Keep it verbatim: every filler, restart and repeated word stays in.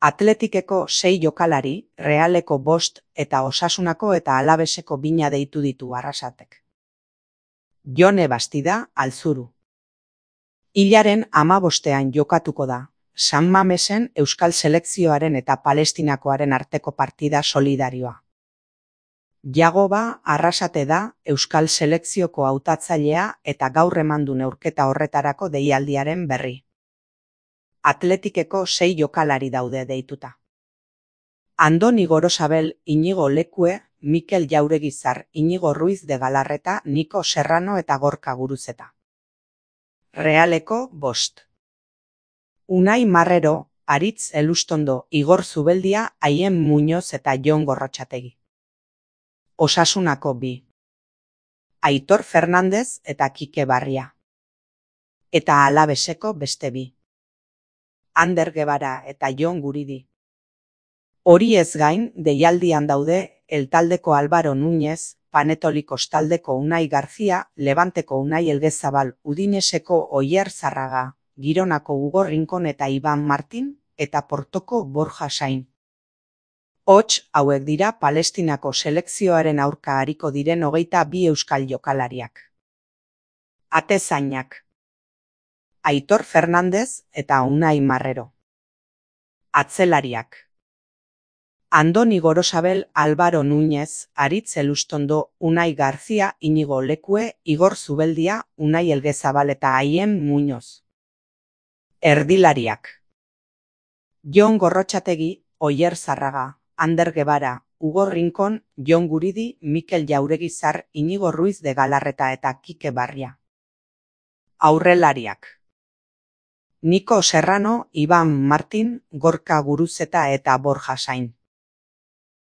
Atletikeko sei jokalari, Realeko bost eta Osasunako eta Alabeseko bina deitu ditu Arrasatek. Jone Bastida, Altzuru. Hilaren hamabostean jokatuko da, San Mamesen Euskal Selekzioaren eta Palestinakoaren arteko partida solidarioa. Jagoba Arrasate da Euskal Selekzioko hautatzailea eta gaur emandu neurketa horretarako deialdiaren berri. Atletikeko sei jokalari daude deituta. Andoni Gorosabel, Inigo Lekue, Mikel Jauregizar, Inigo Ruiz de Galarreta, Niko Serrano eta Gorka Guruzeta. Realeko bost. Unai Marrero, Aritz Elustondo, Igor Zubeldia, Aien Muñoz eta Jon Gorrotxategi. Osasunako bi. Aitor Fernandez eta Kike Barria. Eta Alabeseko beste bi. Ander Gebara eta Jon Guridi. Hori ez gain, deialdian daude Eltaldeko Albaro Núñez, Panetoliko Taldeko Unai Garzia, Levanteko Unai Elgezabal, Udineseko Oier Zarraga, Gironako Hugo Rincon eta Iban Martin, eta Portoko Borja Sain. Hots, hauek dira Palestinako selekzioaren aurka ariko diren hogeita bi euskal jokalariak. Atezainak. Aitor Fernandez eta Unai Marrero. Atzelariak. Andoni Gorosabel, Albaro Núñez, Aritz Elustondo, Unai Garzia, Inigo Lekue, Igor Zubeldia, Unai Elgezabal eta Aien Muñoz. Erdilariak. Jon Gorrotxategi, Oier Zarraga, Ander Gebara, Hugo Rincon, Jon Guridi, Mikel Jauregizar, Inigo Ruiz de Galarreta eta Kike Barria. Aurrelariak. Niko Serrano, Iban Martin, Gorka Guruzeta eta Borja Sain.